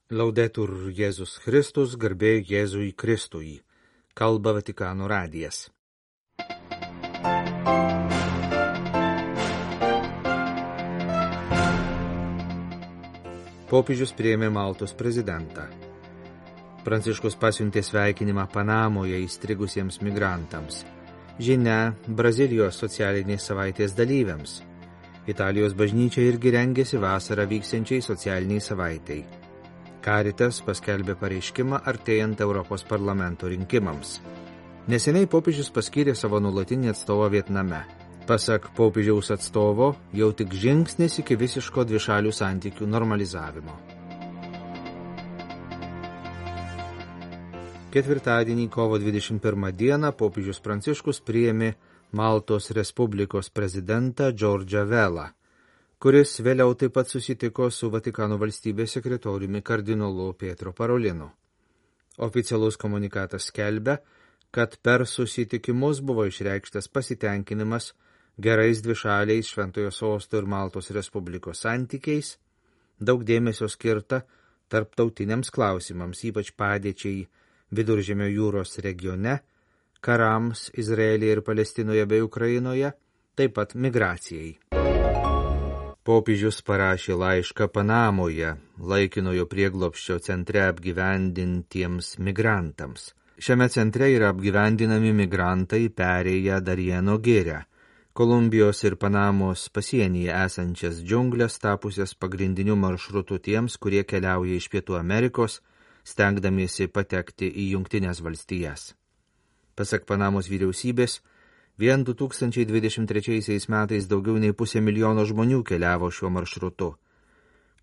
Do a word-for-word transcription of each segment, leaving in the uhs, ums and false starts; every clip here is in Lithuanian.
Laudetur Jėzus Kristus, garbė Jėzui Kristui. Kalba Vatikano radijas. Popiežius priėmė Maltos prezidentą. Pranciškus pasiuntė sveikinimą Panamoje įstrigusiems migrantams. Žinia Brazilijos socialinės savaitės dalyviams. Italijos bažnyčia irgi rengėsi vasarą vyksiančiai socialiniai savaitei. Caritas paskelbė pareiškimą artėjant Europos parlamento rinkimams. Neseniai popiežius paskyrė savo nuolatinį atstovą Vietname. Pasak popiežiaus atstovo, jau tik žingsnis iki visiško dvišalių santykių normalizavimo. Ketvirtadienį, kovo dvidešimt pirmą dieną, popiežius Pranciškus priėmė Maltos Respublikos prezidentą Džordžą Velą, kuris vėliau taip pat susitiko su Vatikano valstybės sekretoriumi kardinolu Pietro Parolinu. Oficialus komunikatas skelbia, kad per susitikimus buvo išreikštas pasitenkinimas gerais dvišaliais Šventojo Sosto ir Maltos Respublikos santykiais, daug dėmesio skirta tarptautiniams klausimams, ypač padėčiai Viduržemio jūros regione, karams Izraelyje ir Palestinoje bei Ukrainoje, taip pat migracijai. Popiežius parašė laišką Panamoje, laikinojo prieglobsčio centre apgyvendintiems migrantams. Šiame centre yra apgyvendinami migrantai perėję Darieno girią, Kolumbijos ir Panamos pasienyje esančias džiunglės tapusias pagrindiniu maršrutu tiems, kurie keliauja iš Pietų Amerikos, stengdamiesi patekti į Jungtines valstijas. Pasak Panamos vyriausybės, vien du tūkstančiai dvidešimt trečiaisiais metais daugiau nei pusė milijono žmonių keliavo šiuo maršrutu,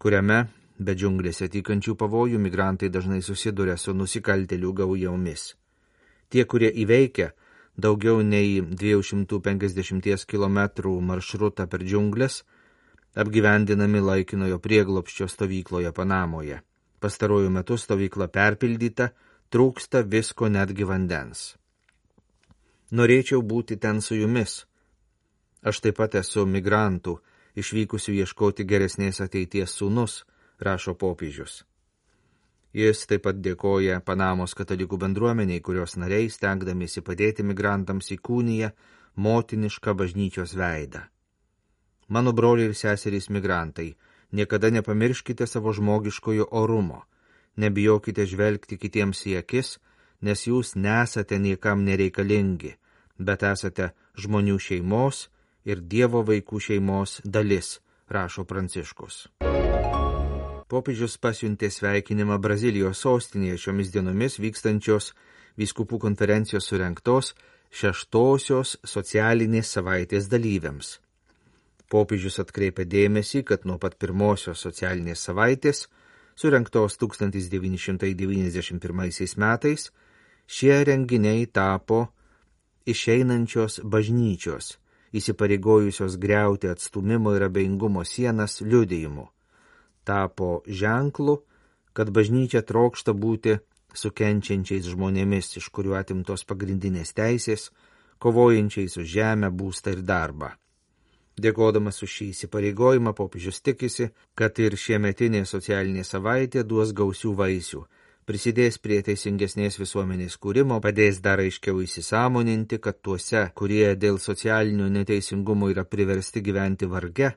kuriame, be džiunglėse tykančių pavojų, migrantai dažnai susiduria su nusikaltėlių gaujomis. Tie, kurie įveikia daugiau nei dviejų šimtų penkiasdešimt kilometrų maršrutą per džiunglės, apgyvendinami laikinojo prieglobsčio stovykloje Panamoje. Pastaruoju metu stovykla perpildyta, trūksta visko, netgi vandens. Norėčiau būti ten su jumis. Aš taip pat esu migrantų, išvykusių ieškoti geresnės ateities sūnus, rašo popiežius. Jis taip pat dėkoja Panamos katalikų bendruomeniai, kurios nariai, stengdamiesi padėti migrantams, įkūnija motinišką bažnyčios veidą. Mano broliai ir seserys migrantai, niekada nepamirškite savo žmogiškojo orumo, nebijokite žvelgti kitiems į akis, nes jūs nesate niekam nereikalingi, bet esate žmonių šeimos ir Dievo vaikų šeimos dalis, rašo Pranciškus. Popiežius pasiuntė sveikinimą Brazilijos sostinėje šiomis dienomis vykstančios vyskupų konferencijos surengtos šeštosios socialinės savaitės dalyviams. Popiežius atkreipė dėmesį, kad nuo pat pirmosios socialinės savaitės, surengtos tūkstantis devyni šimtai devyniasdešimt pirmaisiais metais, šie renginiai tapo išeinančios bažnyčios, įsipareigojusios griauti atstūmimo ir abejingumo sienas liudijimu. Tapo ženklu, kad bažnyčia trokšta būti su kenčiančiais žmonėmis, iš kurių atimtos pagrindinės teisės, kovojančiais už žemę, būstą ir darbą. Dėkodamas už šį įsipareigojimą, popiežius tikisi, kad ir šiemetinė socialinė savaitė duos gausių vaisių, prisidės prie teisingesnės visuomenės kūrimo, padės dar aiškiau įsisąmoninti, kad tuose, kurie dėl socialinio neteisingumo yra priversti gyventi varge,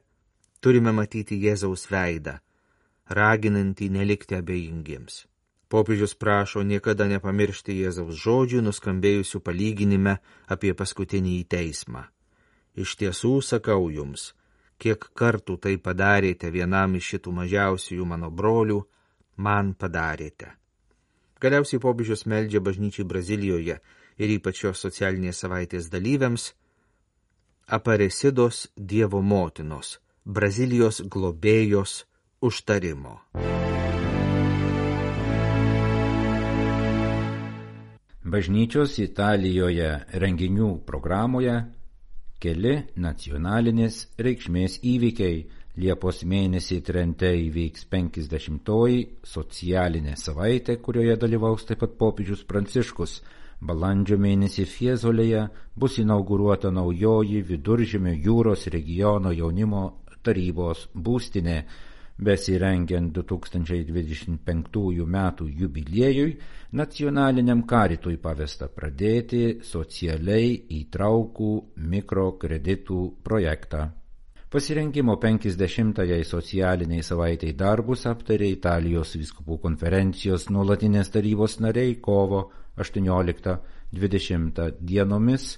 turime matyti Jėzaus veidą, raginantį nelikti abejingiems. Popiežius prašo niekada nepamiršti Jėzaus žodžių, nuskambėjusių palyginime apie paskutinį teismą. Iš tiesų sakau jums, kiek kartų tai padarėte vienam iš šitų mažiausiųjų mano brolių, man padarėte. Galiausiai popiežius meldžia bažnyčiai Brazilijoje ir ypač šios socialinės savaitės dalyviams Aparecidos Dievo motinos, Brazilijos globėjos užtarimo. Bažnyčios Italijoje renginių programoje keli nacionalinės reikšmės įvykiai. Liepos mėnesį Trente įvyks penkiasdešimtoji socialinė savaitė, kurioje dalyvaus taip pat popiežius Pranciškus. Balandžio mėnesį Fiesolėje bus inauguruota naujoji Viduržemio jūros regiono jaunimo tarybos būstinė. besirengiant du tūkstančiai dvidešimt penktųjų metų jubiliejui, nacionaliniam karitui pavesta pradėti socialiai įtraukų mikrokreditų projektą. Pasirengimo penkiasdešimtajai socialiniai savaitai darbus aptarė Italijos vyskupų konferencijos nuolatinės tarybos nariai kovo aštuonioliktą dvidešimtą dienomis.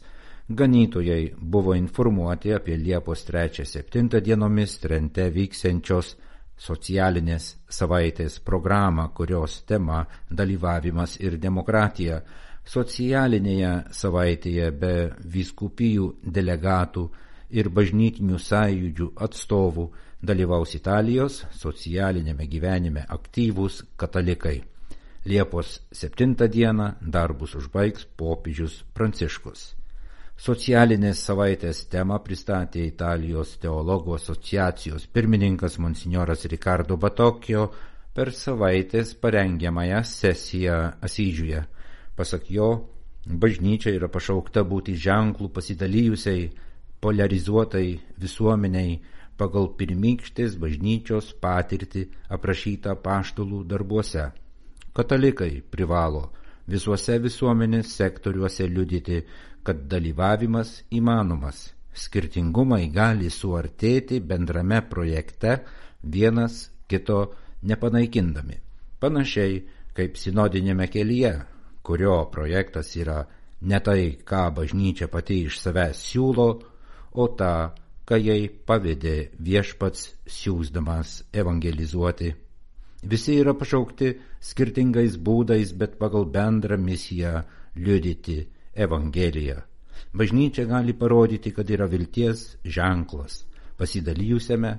Ganytojai buvo informuoti apie Liepos trečią septintą dienomis Trente vyksiančios socialinės savaitės programą, kurios tema dalyvavimas ir demokratija. Socialinėje savaitėje be vyskupijų delegatų ir bažnytinių sąjūdžių atstovų dalyvaus Italijos socialinėme gyvenime aktyvūs katalikai. Liepos septintą dieną darbus užbaigs popiežius Pranciškus. Socialinės savaitės temą pristatė Italijos teologų asociacijos pirmininkas monsinjoras Ricardo Batocchio per savaitės parengiamąją sesiją Asyžiuje. Pasak jo, bažnyčia yra pašaukta būti ženklų pasidalijusiai, polarizuotai visuomeniai pagal pirmykštės bažnyčios patirtį aprašytą apaštalų darbuose. Katalikai privalo visuose visuomenės sektoriuose liudyti, kad dalyvavimas įmanomas. Skirtingumai gali suartėti bendrame projekte vienas kito nepanaikindami. Panašiai kaip sinodinėme kelyje, kurio projektas yra ne tai, ką bažnyčia pati iš savęs siūlo, o tą, ką jai pavedė viešpats siųsdamas evangelizuoti. Visi yra pašaukti skirtingais būdais, bet pagal bendrą misiją liudyti Evangeliją. Bažnyčia gali parodyti, kad yra vilties ženklas pasidalijusiame,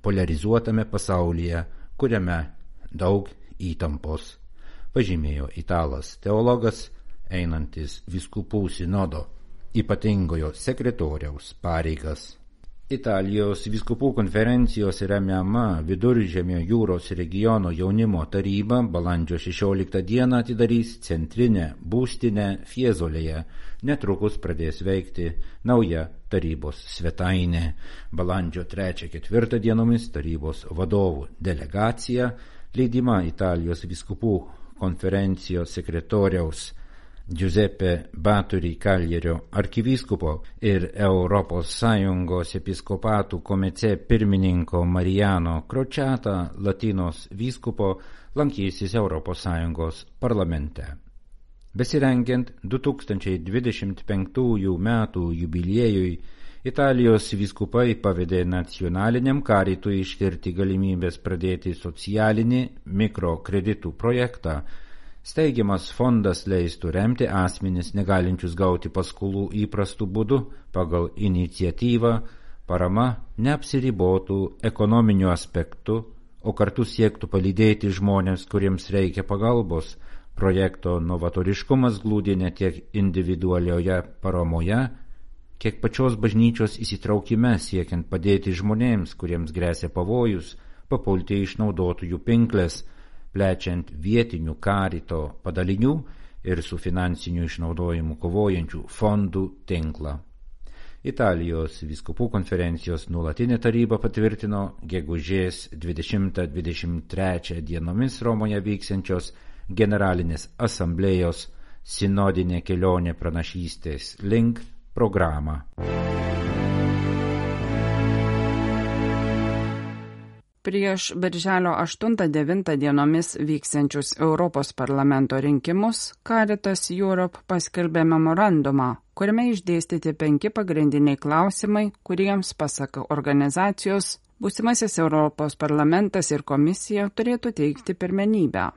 polarizuotame pasaulyje, kuriame daug įtampos, pažymėjo italas teologas, einantis vyskupų sinodo ypatingojo sekretoriaus pareigas. Italijos vyskupų konferencijos remiama Viduržemio jūros regiono jaunimo taryba balandžio šešioliktą dieną atidarys centrinę būstinę Fiesolėje. Netrukus pradės veikti nauja tarybos svetainė. Balandžio trečią ketvirtą dienomis tarybos vadovų delegacija, lydima Italijos vyskupų konferencijos sekretoriaus Giuseppe Baturi Caglierio arkivyskupo ir Europos Sąjungos episkopatų komite pirmininko Mariano Crociata Latinos vyskupo lankysis Europos Sąjungos parlamente. Besirengiant du tūkstančiai dvidešimt penktųjų metų jubiliejui, Italijos vyskupai pavedė nacionaliniam karitui ištirti galimybės pradėti socialinį mikrokreditų projektą. Steigiamas fondas leistų remti asmenis negalinčius gauti paskolų įprastų būdų pagal iniciatyvą, parama neapsiribotų ekonominiu aspektu, o kartu siektų palydėti žmonės, kuriems reikia pagalbos. Projekto novatoriškumas glūdi ne tiek individualioje paramoje, kiek pačios bažnyčios įsitraukime siekiant padėti žmonėms, kuriems gresia pavojus, papulti išnaudotojų pinklės, plečiant vietinių karito padalinių ir su finansiniu išnaudojimu kovojančių fondų tinklą. Italijos vyskupų konferencijos nuolatinė taryba patvirtino gegužės dvidešimtą dvidešimt trečią dienomis Romoje vyksiančios generalinės asamblėjos sinodinė kelionė pranašystės link programą. Prieš birželio aštuntą devintą dienomis vyksiančius Europos parlamento rinkimus Caritas Europe paskelbė memorandumą, kuriame išdėstyti penki pagrindiniai klausimai, kuriems, pasak organizacijos, būsimasis Europos parlamentas ir komisija turėtų teikti pirmenybę.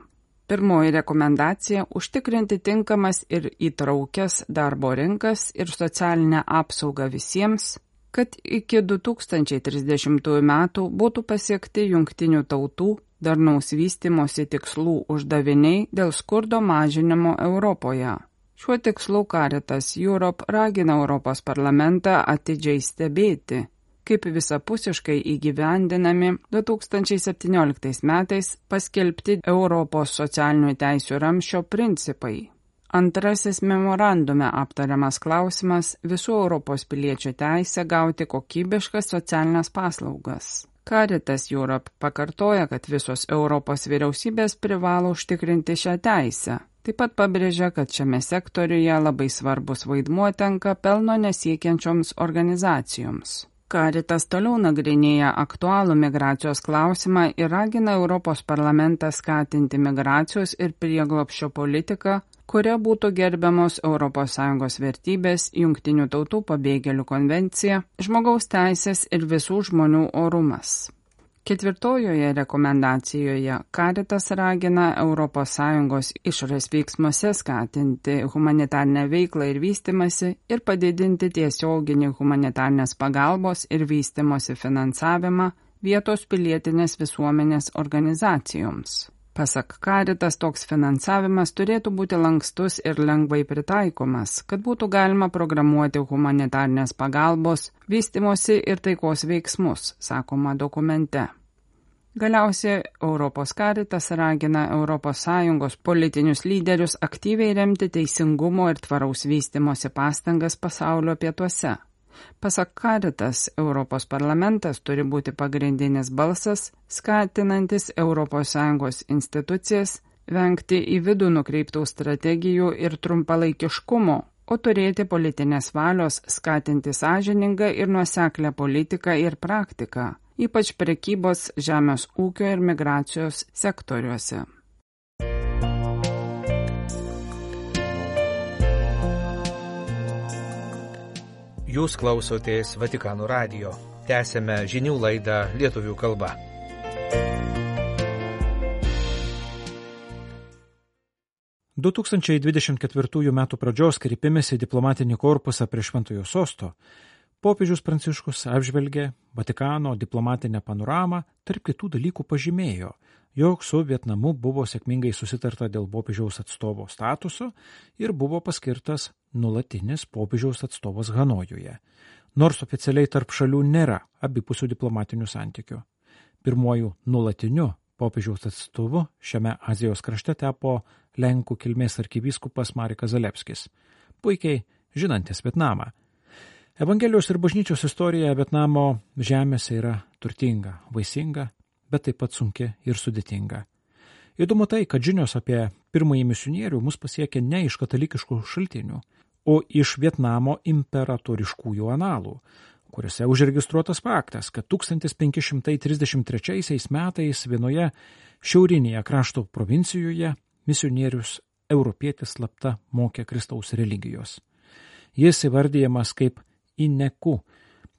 Pirmoji rekomendacija – užtikrinti tinkamas ir įtraukias darbo rinkas ir socialinę apsaugą visiems, kad iki du tūkstančiai trisdešimtųjų metų būtų pasiekti jungtinių tautų darnaus vystymosi tikslų uždaviniai dėl skurdo mažinimo Europoje. Šiuo tikslu Caritas Europe ragina Europos parlamentą atidžiai stebėti, kaip visapusiškai įgyvendinami du tūkstančiai septynioliktais metais paskelbti Europos socialinių teisių ramsčio principai. Antrasis memorandume aptariamas klausimas – visų Europos piliečių teisė gauti kokybiškas socialinės paslaugas. Caritas Europe pakartoja, kad visos Europos vyriausybės privalo užtikrinti šią teisę. Taip pat pabrėžia, kad šiame sektoriuje labai svarbus vaidmuo tenka pelno nesiekiančioms organizacijoms. Caritas toliau nagrinėja aktualų migracijos klausimą ir ragina Europos parlamentą skatinti migracijos ir prieglobsčio politiką, kuria būtų gerbiamos Europos Sąjungos vertybės, Jungtinių tautų pabėgėlių konvencija, žmogaus teisės ir visų žmonių orumas. Ketvirtojoje rekomendacijoje Caritas ragina Europos Sąjungos išorės veiksmuose skatinti humanitarnę veiklą ir vystymąsi ir padidinti tiesioginį humanitarnės pagalbos ir vystymosi finansavimą vietos pilietinės visuomenės organizacijoms. Pasak Caritas, toks finansavimas turėtų būti lankstus ir lengvai pritaikomas, kad būtų galima programuoti humanitarnės pagalbos, vystimosi ir taikos veiksmus, sakoma dokumente. Galiausiai Europos Caritas ragina Europos Sąjungos politinius lyderius aktyviai remti teisingumo ir tvaraus vystimosi pastangas pasaulio pietuose. Pasak Caritas, Europos parlamentas turi būti pagrindinis balsas, skatinantis Europos Sąjungos institucijas vengti į vidų nukreiptų strategijų ir trumpalaikiškumo, o turėti politinės valios skatinti sąžiningą ir nuoseklę politiką ir praktiką, ypač prekybos, žemės ūkio ir migracijos sektoriuose. Jūs klausotės Vatikano radijo. Tęsėme žinių laidą lietuvių kalba. du tūkstančiai dvidešimt ketvirtųjų metų pradžios kreipimėsi diplomatinį korpusą prie Šventojo sosto, popiežius Pranciškus apžvelgė Vatikano diplomatinę panoramą, tarp kitų dalykų pažymėjo, jog su Vietnamu buvo sėkmingai susitarta dėl popiežiaus atstovo statuso ir buvo paskirtas nuolatinis popiežiaus atstovas Hanojuje, nors oficialiai tarp šalių nėra abipusių diplomatinių santykių. Pirmuoju nuolatiniu popiežiaus atstovu šiame Azijos krašte tapo Lenkų kilmės arkivyskupas Marekas Zalewskis, puikiai žinantis Vietnamą. Evangelijos ir bažnyčios istorija Vietnamo žemėse yra turtinga, vaisinga, bet taip pat sunki ir sudėtinga. Įdomu tai, kad žinios apie pirmąjį misionierių mus pasiekė ne iš katalikiškų šaltinių, o iš Vietnamo imperatoriškųjų analų, kuriuose užregistruotas faktas, kad tūkstantis penki šimtai trisdešimt trečiaisiais metais vienoje šiaurinėje krašto provincijoje misionierius europietis slapta mokė Kristaus religijos. Jis įvardyjamas kaip Ineku,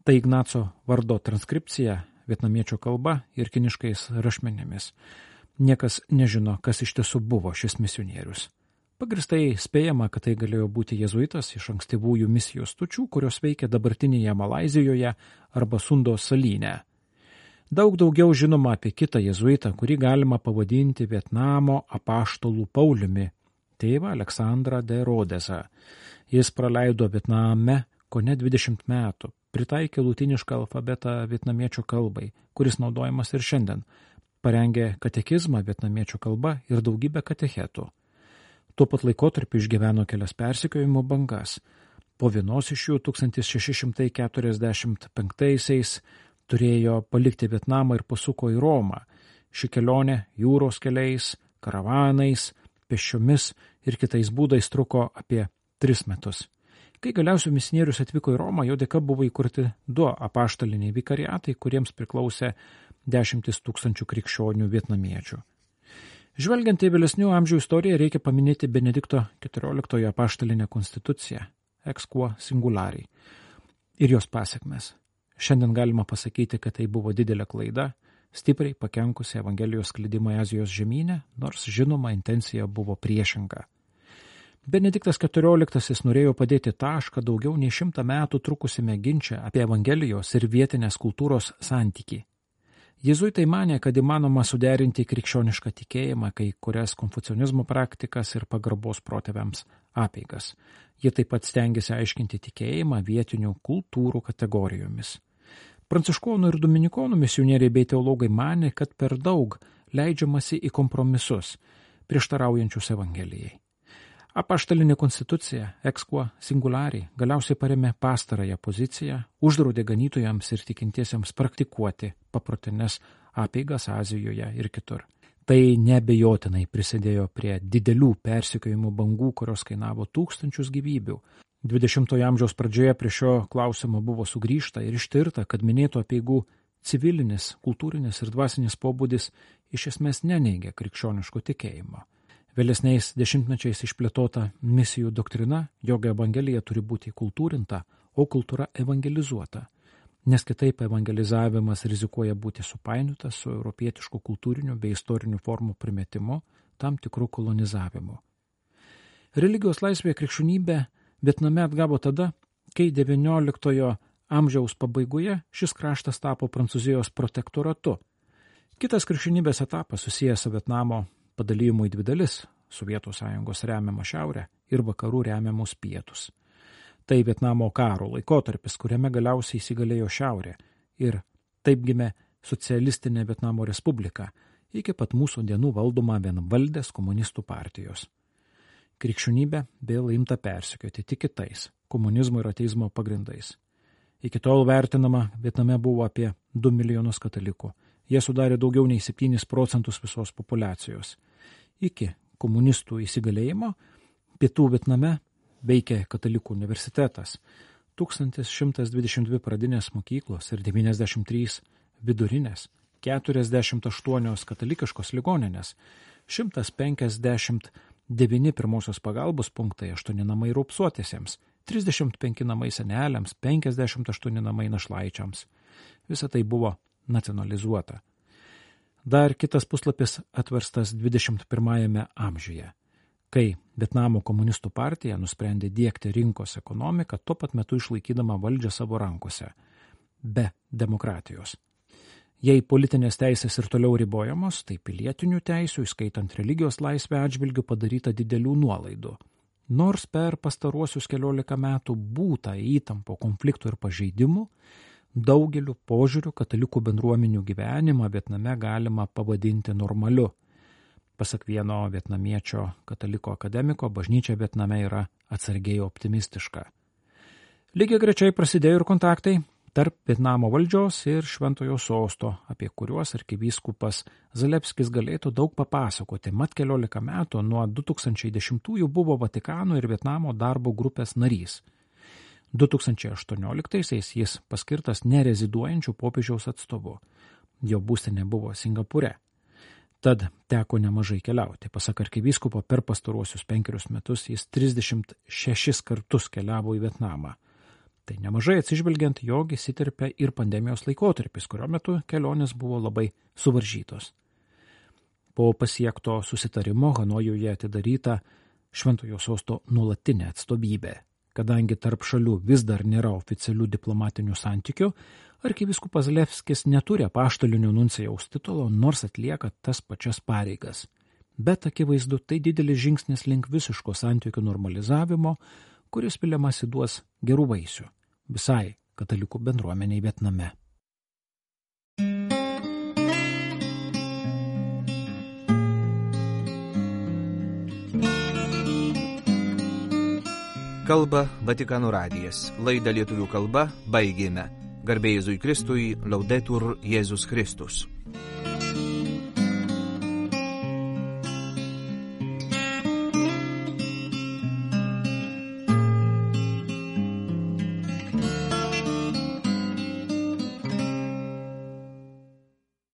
tai Ignaco vardo transkripcija vietnamiečio kalba ir kiniškais rašmenimis. Niekas nežino, kas iš tiesų buvo šis misionierius. Pagristai spėjama, kad tai galėjo būti jezuitas iš ankstyvųjų misijos stočių, kurios veikia dabartinėje Malaizijoje arba Sundos salyne. Daug daugiau žinoma apie kitą jezuitą, kurį galima pavadinti Vietnamo apaštalų Pauliumi, tėvą Aleksandrą de Rodesą. Jis praleido Vietname kone dvidešimt metų, pritaikė lutinišką alfabetą vietnamiečio kalbai, kuris naudojamas ir šiandien, parengė katekizmą vietnamiečio kalba ir daugybę katechetų. Tuo pat laikotarpiu išgyveno kelias persekiojimo bangas. Po vienos iš jų tūkstantis šeši šimtai keturiasdešimt penktaisiais turėjo palikti Vietnamą ir pasuko į Romą. Ši kelionė jūros keliais, karavanais, pėsčiomis ir kitais būdais truko apie tris metus. Kai galiausiai misionierius atvyko į Romą, jo dėka buvo įkurti du apaštaliniai vikariatai, kuriems priklausė dešimtis tūkstančių krikščionių vietnamiečių. Žvelgiant į vėlesnių amžių istoriją, reikia paminėti Benedikto keturioliktojo apaštalinę konstituciją, ex quo singulari, ir jos pasekmes. Šiandien galima pasakyti, kad tai buvo didelė klaida, stipriai pakenkusi Evangelijos sklidimui Azijos žemyne, nors žinoma intencija buvo priešinga. Benediktas keturioliktasis norėjo padėti tašką daugiau nei šimtą metų trukusime ginče apie Evangelijos ir vietinės kultūros santykį. Jėzuitai manė, kad įmanoma suderinti krikščionišką tikėjimą, kai kurias konfucionizmo praktikas ir pagarbos protėviams apeigas. Jie taip pat stengiasi aiškinti tikėjimą vietinių kultūrų kategorijomis. Pranciškonų ir dominikonų misionieriai bei teologai manė, kad per daug leidžiamasi į kompromisus, prieštaraujančius Evangelijai. Apaštalinė konstitucija, ex quo singulari, galiausiai paremė pastarąją poziciją, uždraudė ganytojams ir tikintiesiems praktikuoti paprotines apeigas Azijoje ir kitur. Tai neabejotinai prisidėjo prie didelių persekiojimų bangų, kurios kainavo tūkstančius gyvybių. dvidešimtojo amžiaus pradžioje prie šio klausimo buvo sugrįžta ir ištirta, kad minėtų apeigų civilinis, kultūrinis ir dvasinis pobūdis iš esmės neneigia krikščioniško tikėjimo. Vėlesniais dešimtmečiais išplėtota misijų doktrina, jog evangelija turi būti kultūrinta, o kultūra evangelizuota, nes kitaip evangelizavimas rizikuoja būti supainiotas su europietišku kultūriniu bei istoriniu formų primetimu, tam tikrų kolonizavimu. Religijos laisvė krikščionybė Vietname atgavo tada, kai devynioliktojo amžiaus pabaigoje šis kraštas tapo Prancūzijos protektoratu. Kitas krikščionybės etapas susijęs su Vietnamo padalijimų į dvi dalis – Sovietų sąjungos remiamą šiaurę ir vakarų remiamus pietus. Tai Vietnamo karo laikotarpis, kuriame galiausiai įsigalėjo šiaurė ir taip gimė socialistinė Vietnamo respublika, iki pat mūsų dienų valdoma vienvaldės komunistų partijos. Krikščionybė vėl imta persekioti tik kitais – komunizmo ir ateizmo pagrindais. Iki tol vertinama Vietname buvo apie du milijonus katalikų. Jie sudarė daugiau nei septynis procentus visos populiacijos. Iki komunistų įsigalėjimo pietų Vietname veikė katalikų universitetas, tūkstantis šimtas dvidešimt dvi pradinės mokyklos ir devyniasdešimt trys vidurinės, keturiasdešimt aštuonios katalikiškos ligoninės, šimtas penkiasdešimt devyni pirmosios pagalbos punktai, aštuoni namai raupsuotiesiems, trisdešimt penki namai seneliams, penkiasdešimt aštuoni namai našlaičiams. Visa tai buvo nacionalizuota. Dar kitas puslapis atverstas dvidešimt pirmajame amžiuje, kai Vietnamo komunistų partija nusprendė diegti rinkos ekonomiką, tuo pat metu išlaikydama valdžią savo rankose, be demokratijos. Jei politinės teisės ir toliau ribojamos, tai pilietinių teisių, įskaitant religijos laisvę atžvilgių, padaryta didelių nuolaidų. Nors per pastaruosius keliolika metų būta įtampo, konfliktų ir pažeidimų, daugeliu požiūrių katalikų bendruomenių gyvenimą Vietname galima pavadinti normaliu. Pasak vieno vietnamiečio kataliko akademiko, bažnyčia Vietname yra atsargiai optimistiška. Lygiai grečiai prasidėjo ir kontaktai tarp Vietnamo valdžios ir Šventojo sosto, apie kuriuos arkivyskupas Zalewskis galėtų daug papasakoti. Mat keliolika metų nuo du tūkstančiai dešimtųjų buvo Vatikano ir Vietnamo darbo grupės narys. du tūkstančiai aštuonioliktaisiais jis paskirtas nereziduojančių popiežiaus atstovu. Jo būstinė buvo Singapūre. Tad teko nemažai keliauti. Pasak arkivyskupo, per pastaruosius penkerius metus jis trisdešimt šešis kartus keliavo į Vietnamą. Tai nemažai atsižvelgiant, jog įsiterpė ir pandemijos laikotarpis, kurio metu kelionės buvo labai suvaržytos. Po pasiekto susitarimo Hanojuje atidaryta Šventojo sosto nuolatinė atstovybė. Kadangi tarp šalių vis dar nėra oficialių diplomatinių santykių, arkivyskupas Zalewskis neturi apaštalinio nuncijaus titulo, nors atlieka tas pačias pareigas. Bet akivaizdu, tai didelis žingsnis link visiško santykių normalizavimo, kuris viliamasi duos gerų vaisių visai katalikų bendruomeniai Vietname. Kalba Vatikano radijas. Laidą lietuvių kalba baigėme. Garbė Jėzui Kristui, Laudetur Jėzus Kristus.